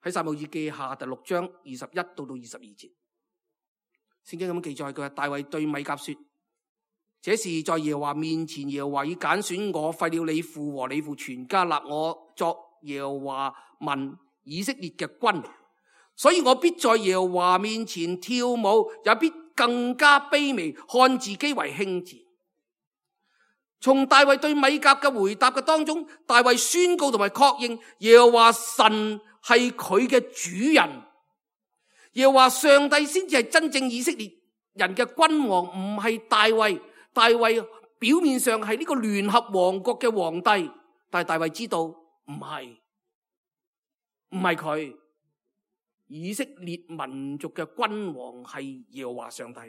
S2: 喺撒母耳記下第六章二十一到到二十二節，聖經咁樣記載，佢話大衛對米甲說：這是在耶和華面前，耶和華已揀選我，廢了你父和你父全家，立我作耶和華民以色列嘅君。所以我必在耶和華面前跳舞，也必更加卑微，看自己為輕賤。從大衛對米甲嘅回答嘅當中，大衛宣告同埋確認耶和華神係佢嘅主人，耶和華上帝先至係真正以色列人嘅君王，唔係大衛。大衛表面上係呢個聯合王國嘅皇帝，但係大衛知道唔係，唔係佢。以色列民族嘅君王係耶和華上帝。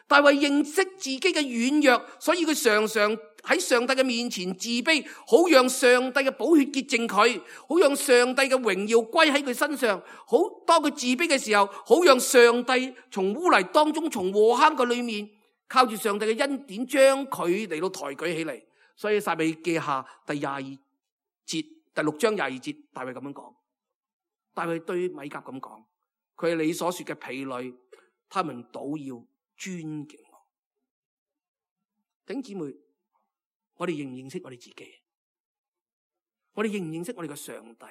S2: 大衛認識自己嘅軟弱，所以佢常常喺上帝嘅面前自卑，好讓上帝嘅寶血潔淨佢，好讓上帝嘅榮耀歸喺佢身上。好，當佢自卑嘅時候，好讓上帝從污泥當中，從禍坑嘅裏面，靠住上帝嘅恩典，將佢嚟到抬舉起嚟。所以撒母耳記下第廿二節，第六章廿二節，大衛咁樣講。大衛對米甲咁講，佢係你所說嘅婢女，他們倒要尊敬我。弟兄姊妹，我哋認唔認識我哋自己？我哋認唔認識我哋嘅上帝？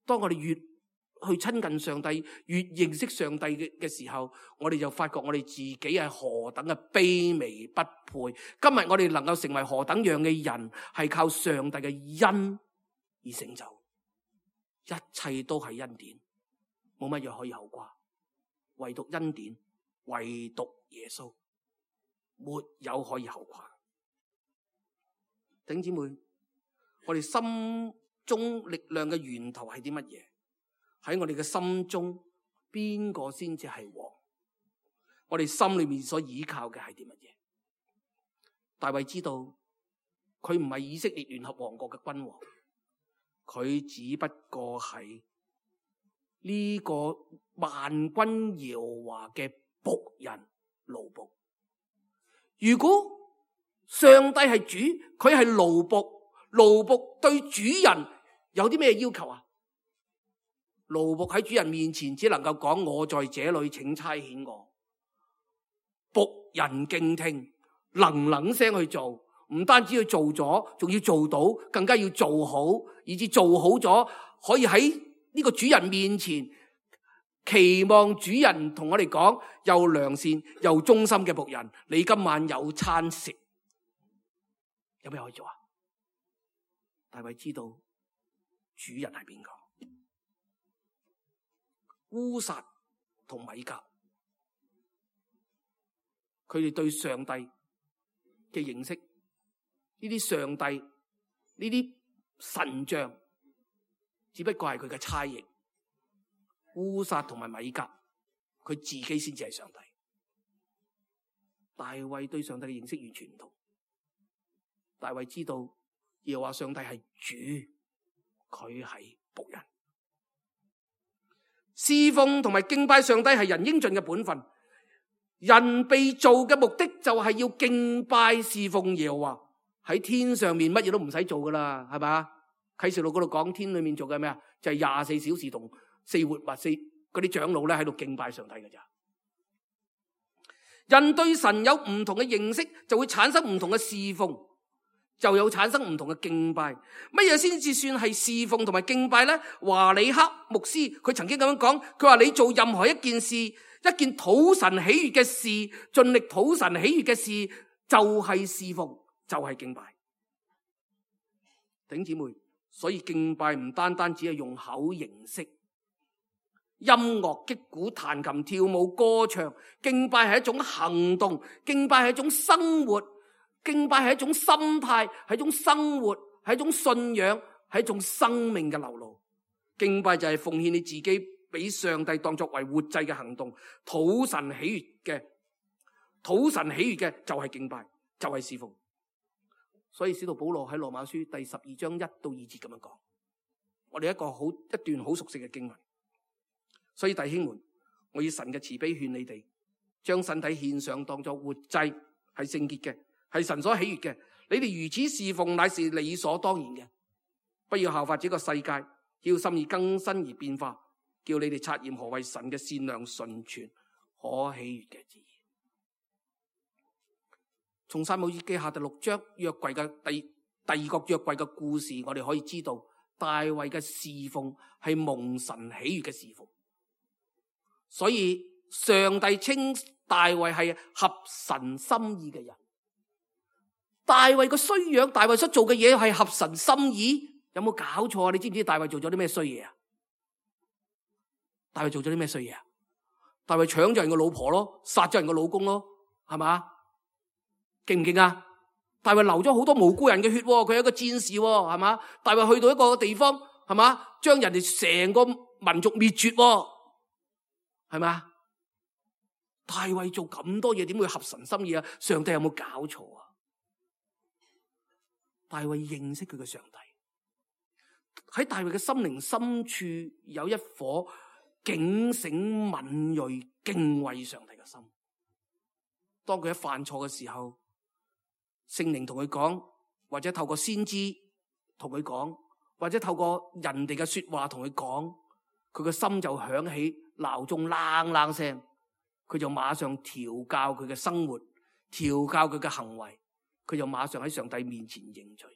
S2: 當我哋越去親近上帝，越認識上帝嘅嘅時候，我哋就發覺我哋自己係何等嘅卑微不配。今日我哋能夠成為何等樣嘅人，係靠上帝嘅恩而成就。一切都係恩典，冇乜嘢可以後掛，唯獨恩典，唯獨耶穌，沒有可以後掛。弟兄姊妹，我哋心中力量嘅源頭係啲乜嘢？喺我哋嘅心中，邊個先至係王？我哋心裏面所依靠嘅係啲乜嘢？大衛知道，佢唔係以色列聯合王國嘅君王。佢只不過係呢個萬軍耶和華嘅僕人奴僕。如果上帝係主，佢係奴僕，奴僕對主人有啲咩要求啊？奴僕喺主人面前只能夠講：我在這裏，請差遣我。僕人敬聽，能能聲去做。唔單止要做咗，仲要做到，更加要做好，以至做好咗，可以喺呢個主人面前期望主人同我哋講：又良善又忠心嘅僕人，你今晚有餐食。有咩可以做啊？大衛知道主人係邊個？烏撒同米甲，佢哋對上帝嘅認識，呢啲上帝，呢啲神像，只不過係佢嘅差役。烏撒同埋米甲，佢自己先至係上帝。大衛對上帝嘅認識完全唔同。大衛知道耶和華上帝係主，佢係僕人。侍奉同埋敬拜上帝係人應盡嘅本分。人被造嘅目的就係要敬拜侍奉耶和華。喺天上面乜嘢都唔使做噶啦，係咪？啟示錄嗰度講天裏面做嘅咩啊？就係廿四小時同四活物四嗰啲長老咧喺度敬拜上帝嘅咋。人對神有唔同嘅認識，就會產生唔同嘅侍奉，就有產生唔同嘅敬拜。乜嘢先至算係侍奉同埋敬拜咧？華里克牧師佢曾經咁樣講，佢話你做任何一件事，一件討神喜悅嘅事，盡力討神喜悅嘅事，就係侍奉，就係敬拜。弟兄姊妹，所以敬拜唔單單只係用口形式，音樂、擊鼓、彈琴、跳舞、歌唱，敬拜係一種行動，敬拜係一種生活，敬拜係一種心態，係一種生活，係一種信仰，係一種生命嘅流露。敬拜就係奉獻你自己俾上帝，當作為活祭嘅行動，討神喜悅嘅，討神喜悅嘅就係敬拜，就係侍奉。所以使徒保羅喺羅馬書第十二章一到二節咁樣講，我哋一個好一段好熟悉嘅經文。所以弟兄們，我以神嘅慈悲勸你哋，將身體獻上當作活祭，係聖潔嘅，係神所喜悅嘅。你哋如此侍奉，乃是理所當然嘅。不要效法這個世界，要心意更新而變化，叫你哋察驗何為神嘅善良、純全、可喜悅嘅旨意。從撒母耳記下第六章約櫃嘅第第二個約櫃嘅故事，我哋可以知道大衛嘅侍奉係蒙神喜悅嘅侍奉。所以上帝稱大衛係合神心意嘅人。大衛個衰樣，大衛所做嘅嘢係合神心意，有冇搞錯啊？你知唔知大衛做咗啲咩衰嘢啊？大衛做咗啲咩衰嘢啊？大衛搶咗人個老婆咯，殺咗人個老公咯，係嘛？勁唔勁啊？大衛流咗好多無辜人嘅血，佢係一個戰士，係嘛？大衛去到一個地方，係嘛？將人哋成個民族滅絕，係嘛？大衛做咁多嘢，點會合神心意啊？上帝有冇搞錯啊？大衛認識佢嘅上帝，喺大衛嘅心靈深處有一顆警醒敏銳敬畏上帝嘅心。當佢一犯錯嘅時候，聖靈同佢講，或者透過先知同佢講，或者透過人哋嘅說話同佢講，佢個心就響起鬧鐘啷啷聲，佢就馬上調教佢嘅生活，調教佢嘅行為，佢就馬上喺上帝面前認罪。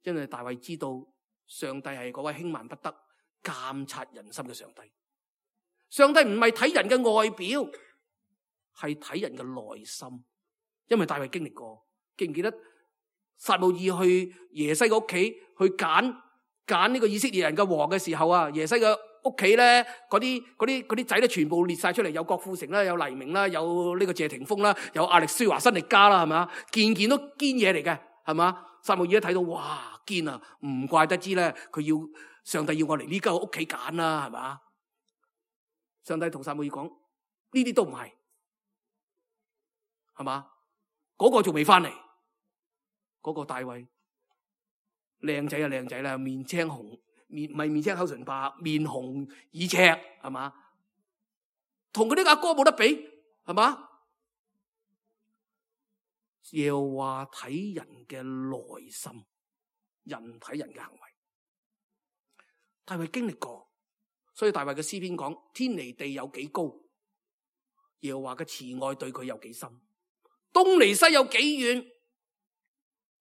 S2: 因為大衛知道上帝係嗰位輕慢不得、監察人心嘅上帝。上帝唔係睇人嘅外表，係睇人嘅內心。因為大衛經歷過，記唔記得撒母耳去耶西嘅屋企去揀揀呢個以色列人嘅王嘅時候啊，耶西嘅屋企咧，嗰啲嗰啲嗰啲仔咧，全部列晒出嚟，有郭富城啦，有黎明啦，有呢個謝霆鋒啦，有亞力舒華辛力加啦，係咪？件件都堅嘢嚟嘅，係嘛？撒母耳一睇到，哇，堅啊，唔怪得知咧，佢要上帝要我嚟呢間屋企揀啦，係嘛？上帝同撒母耳講，呢啲都唔係，係嘛？嗰個仲未翻嚟，嗰個大衛靚仔啊靚仔啦，面青紅，面唔係面青口唇白，面紅耳赤，係嘛？同佢啲阿哥冇得比，係嘛？耶和華睇人嘅內心，人睇人嘅行為。大衛經歷過，所以大衛嘅詩篇講：天離地有幾高，耶和華嘅慈愛對佢有幾深。東離西有幾遠，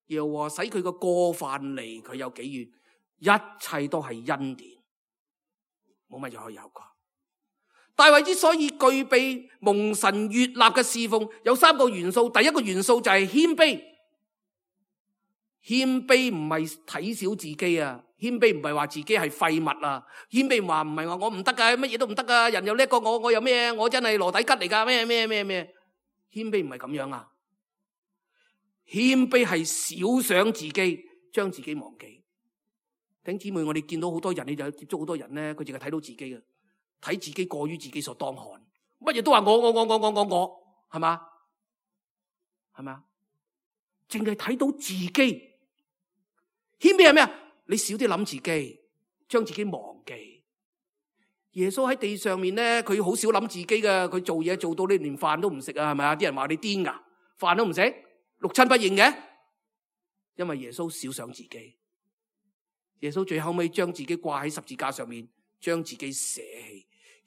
S2: 耶和華使佢個過犯離佢有幾遠，一切都係恩典，冇乜嘢可以有啩。大衛之所以具備蒙神悅納嘅侍奉，有三個元素。第一個元素就係謙卑，謙卑唔係睇小自己啊，謙卑唔係話自己係廢物啊，謙卑話唔係話我唔得噶，乜嘢都唔得噶，人又叻過我，我又咩？我真係羅底吉嚟噶，咩咩咩咩？謙卑唔係咁樣啊，謙卑係少想自己，將自己忘記。弟兄姊妹，我哋見到好多人，你就接觸好多人咧，佢淨係睇到自己嘅，睇自己過於自己所當看，乜嘢都話我我我我我我我，係嘛？係咪啊？淨係睇到自己。謙卑係咩啊？你少啲諗自己，將自己忘記，耶穌喺地上面咧，佢好少諗自己嘅，佢做嘢做到你連飯都唔食啊，係咪啊？啲人話你癲噶，飯都唔食，六親不認嘅。因為耶穌少想自己，耶穌最後尾將自己掛喺十字架上面，將自己捨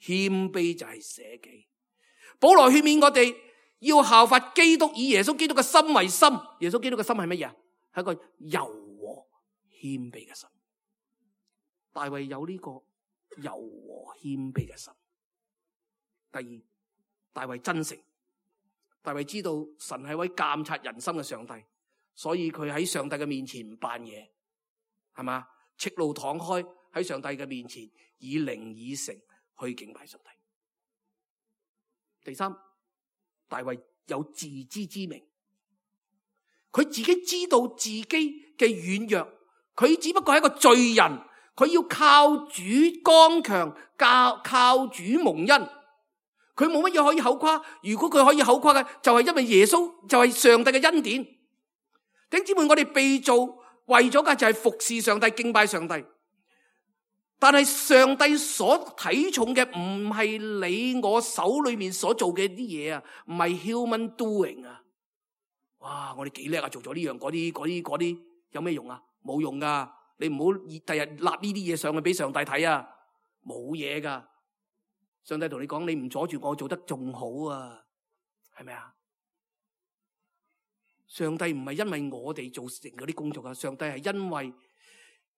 S2: 棄，謙卑就係捨己。保羅勸勉我哋要效法基督，以耶穌基督嘅心為心。耶穌基督嘅心係乜嘢？係一個柔和謙卑嘅心。大衛有呢個柔和謙卑嘅心。第二，大衛真誠。大衛知道神係位監察人心嘅上帝，所以佢喺上帝嘅面前唔扮嘢，係嘛？赤露敞開喺上帝嘅面前，以靈以誠去敬拜上帝。第三，大衛有自知之明，佢自己知道自己嘅軟弱，佢只不過係一個罪人，佢要靠主剛強，靠靠主蒙恩，佢冇乜嘢可以口誇。如果佢可以口誇嘅，就係因為耶穌就係上帝嘅恩典。弟兄姊妹，我哋被造為咗嘅就係服侍上帝、敬拜上帝。但係上帝所睇重嘅唔係你我手裏面所做嘅啲嘢啊，唔係 human doing 啊。哇！我哋幾叻啊，做咗呢樣嗰啲嗰啲嗰啲，有咩用啊？冇用噶。你唔好第日立呢啲嘢上去俾上帝睇啊，冇嘢噶。上帝同你講，你唔阻住我做得仲好啊，係咪啊？上帝唔係因為我哋做成嗰啲工作啊，上帝係因為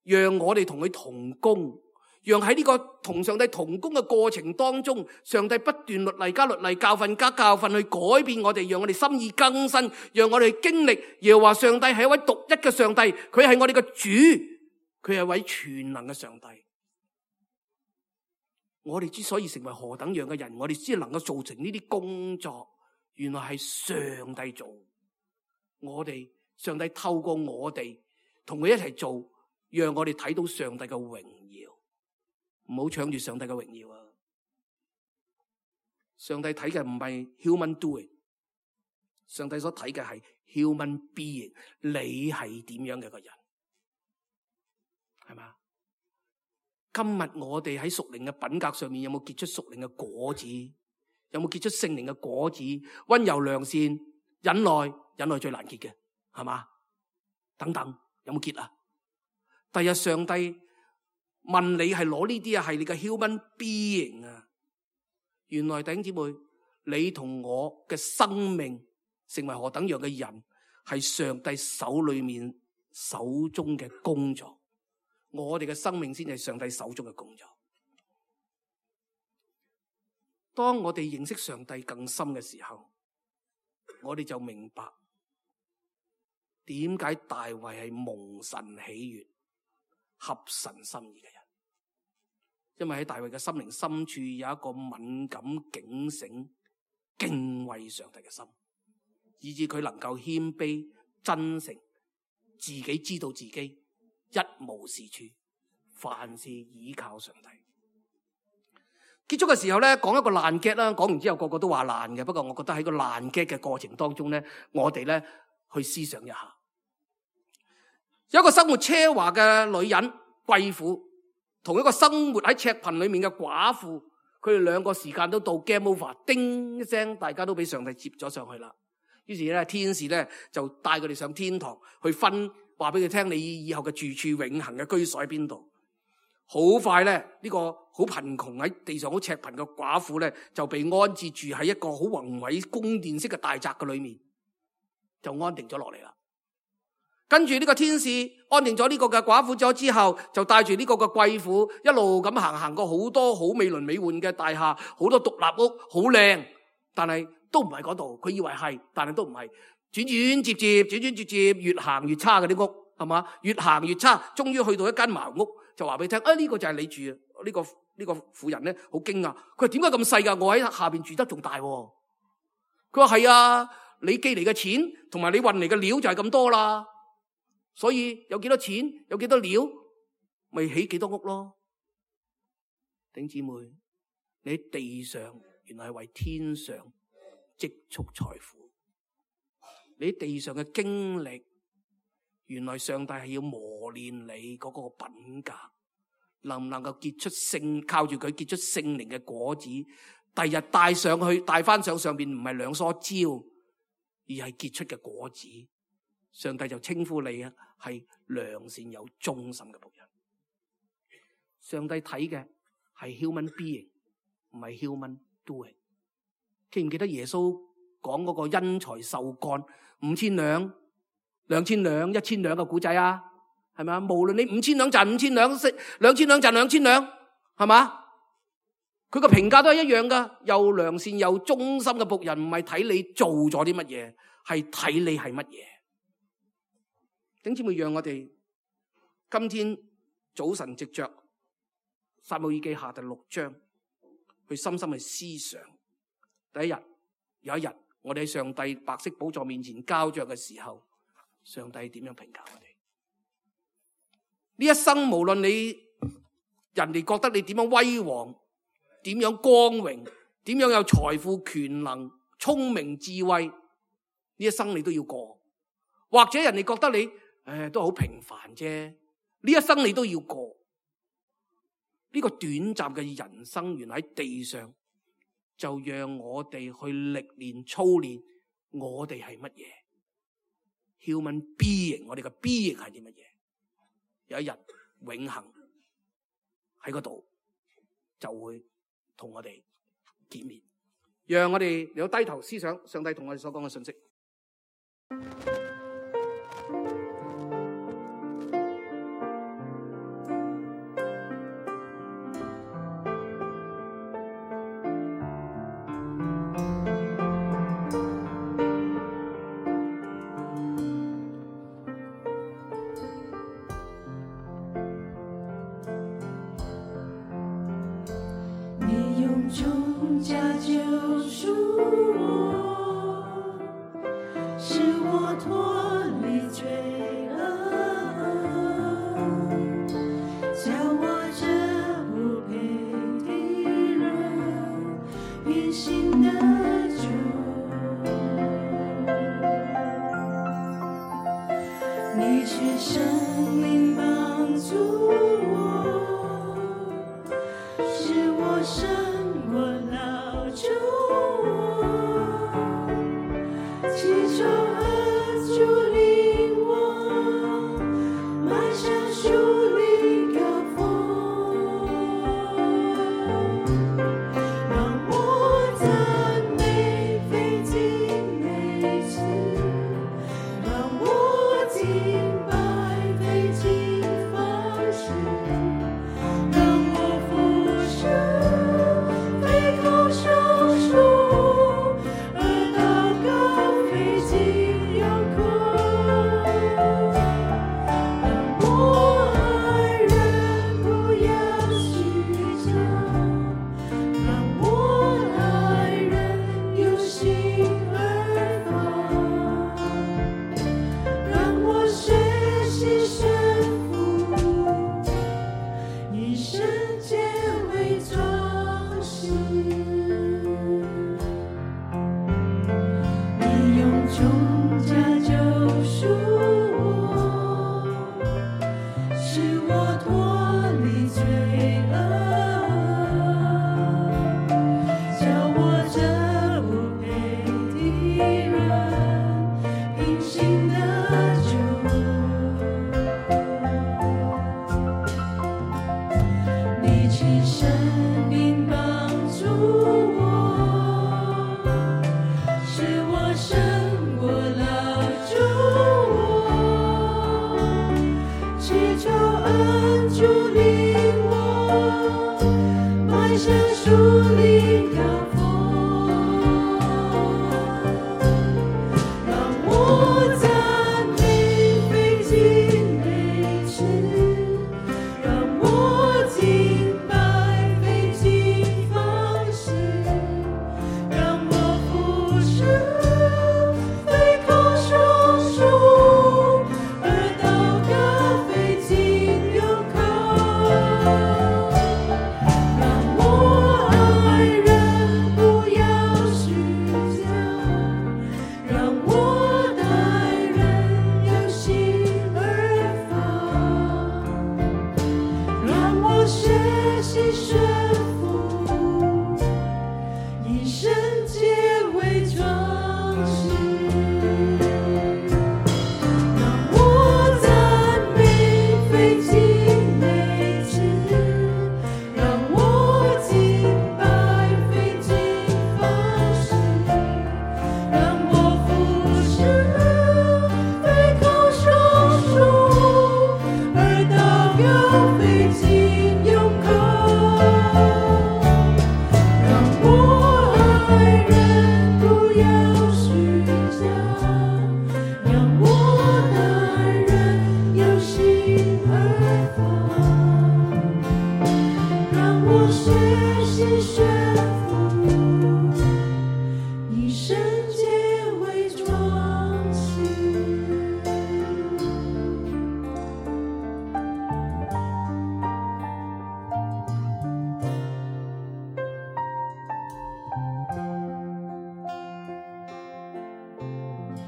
S2: 讓我哋同佢同工。讓喺呢個同上帝同工嘅過程當中，上帝不斷律例加律例，教訓加教訓，去改變我哋，讓我哋心意更新，讓我哋經歷耶和華上帝係一位獨一嘅上帝，佢係我哋嘅主，佢係一位全能嘅上帝。我哋之所以成為何等樣嘅人，我哋先能夠做成呢啲工作，原來係上帝做。我哋上帝透過我哋同佢一齊做，讓我哋睇到上帝嘅榮耀。唔好搶住上帝嘅榮耀啊！上帝睇嘅唔係 human doing， 上帝所睇嘅係 human being。你係點樣嘅一個人？係嘛？今日我哋喺屬靈嘅品格上面有冇結出屬靈嘅果子？有冇結出聖靈嘅果子？溫柔良善、忍耐，忍耐最難結嘅，係嘛？等等，有冇結啊？第日上帝問你係攞呢啲啊，係你嘅 human being 啊。原來弟兄姊妹，你同我嘅生命成為何等樣嘅人，係上帝手裏面手中嘅工作。我哋嘅生命先係上帝手中嘅工作。當我哋認識上帝更深嘅時候，我哋就明白點解大衛係蒙神喜悅、合神心意嘅人。因為喺大衛嘅心靈深處有一個敏感、警醒、敬畏上帝嘅心，以致佢能夠謙卑、真誠，自己知道自己一無是處，凡事倚靠上帝。結束嘅時候咧，講一個爛 gag啦，講完之後個個都話爛嘅，不過我覺得喺個爛 gag嘅過程當中咧，我哋咧去思想一下。有一個生活奢華嘅女人貴婦，同一個生活喺赤貧裏面嘅寡婦，佢哋兩個時間都到 game over， 叮一聲，大家都俾上帝接咗上去啦。於是咧，天使咧就帶佢哋上天堂去分，話俾佢聽你以後嘅住處、永恆嘅居所喺邊度。好快咧，呢個好貧窮喺地上好赤貧嘅寡婦咧，就被安置住喺一個好宏偉宮殿式嘅大宅嘅裏面，就安定咗落嚟啦。跟住呢個天使安定咗呢個嘅寡婦咗之後，就帶住呢個嘅貴婦一路咁行，行過好多好美輪美奐嘅大廈，好多獨立屋，好靚，但係都唔係嗰度。佢以為係，但係都唔係。轉轉接接，轉轉接接，越行越差嗰啲屋，係嘛？越行越差，終於去到一間茅屋，就話俾你聽，啊呢個就係你住啊！呢個呢個婦人咧好驚訝，佢話點解咁細噶？我喺下邊住得仲大。佢話係啊，你寄嚟嘅錢同埋你運嚟嘅料就係咁多啦。所以有幾多錢，有幾多料，咪起幾多屋咯。弟兄姊妹，你喺地上原來係為天上積蓄財富。你喺地上嘅經歷，原來上帝係要磨練你嗰個品格，能唔能夠結出聖，靠住佢結出聖靈嘅果子，第日帶上去，帶翻上上邊唔係兩梳蕉，而係結出嘅果子，上帝就稱呼你啊係良善有忠心嘅僕人。上帝睇嘅係 human being， 唔係 human doing。記唔記得耶穌講嗰個因財受幹五千兩、兩千兩、一千兩嘅古仔啊？係咪啊？無論你五千兩賺五千兩，兩千兩賺兩千兩，係嘛？佢個評價都係一樣噶，又良善又忠心嘅僕人，唔係睇你做咗啲乜嘢，係睇你係乜嘢。弟兄姊妹，讓我哋今天早晨藉着撒母耳記下第六章，去深深去思想。第一日，有一日，我哋喺上帝白色寶座面前交賬嘅時候，上帝點樣評價我哋？呢一生無論你人哋覺得你點樣威煌，點樣光榮，點樣有財富、權能、聰明、智慧，呢一生你都要過。或者人哋覺得你誒都好平凡啫，呢一生你都要過。呢個短暫嘅人生，原來喺地上，就讓我哋去歷練、操練我哋係乜嘢 human being， 我哋嘅 being 係啲乜嘢？有一日永恆喺嗰度就會同我哋見面，讓我哋有低頭思想上帝同我哋所講嘅信息。
S3: 重价救赎我，使我脱离罪恶，叫我这不配的人平行的主。你却生命帮助我，使我生我老主我，祈求和主领我，迈向树林高峰，让我赞美费尽每次，让我敬拜费尽方式，让我俯首生我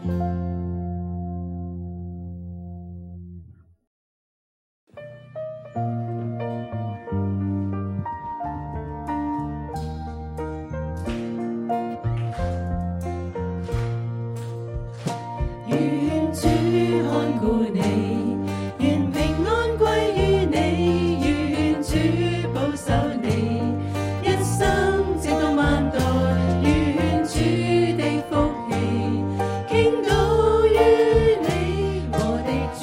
S3: 願主看顧你，願平安歸於你，願主保守你，一生直到萬代，願主的福氣傾倒於你，我的主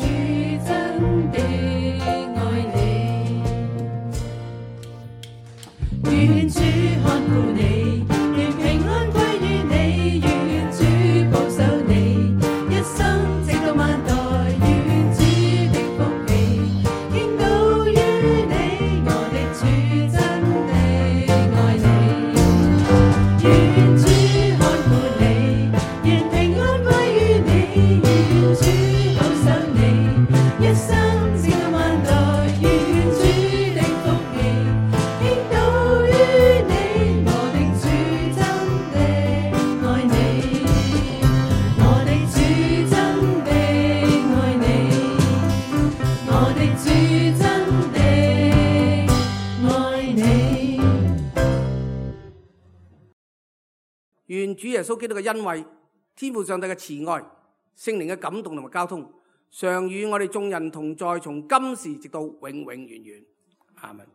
S3: 真的愛你。願主看顧你，願平安歸於你，願主保守你，一生直到萬代，願主的福氣傾倒於你，我的主真的愛你。願主看顧你，願平安歸於你，願主保守你，一生直到萬代，願主的福氣傾倒於你，我的主真的愛你。我的主真的愛你，我的主真的愛你。
S2: 願主耶穌基督嘅恩惠、天父上帝嘅慈愛、聖靈嘅感動同埋交通，常與我哋眾人同在，從今時直到永永遠遠。阿門。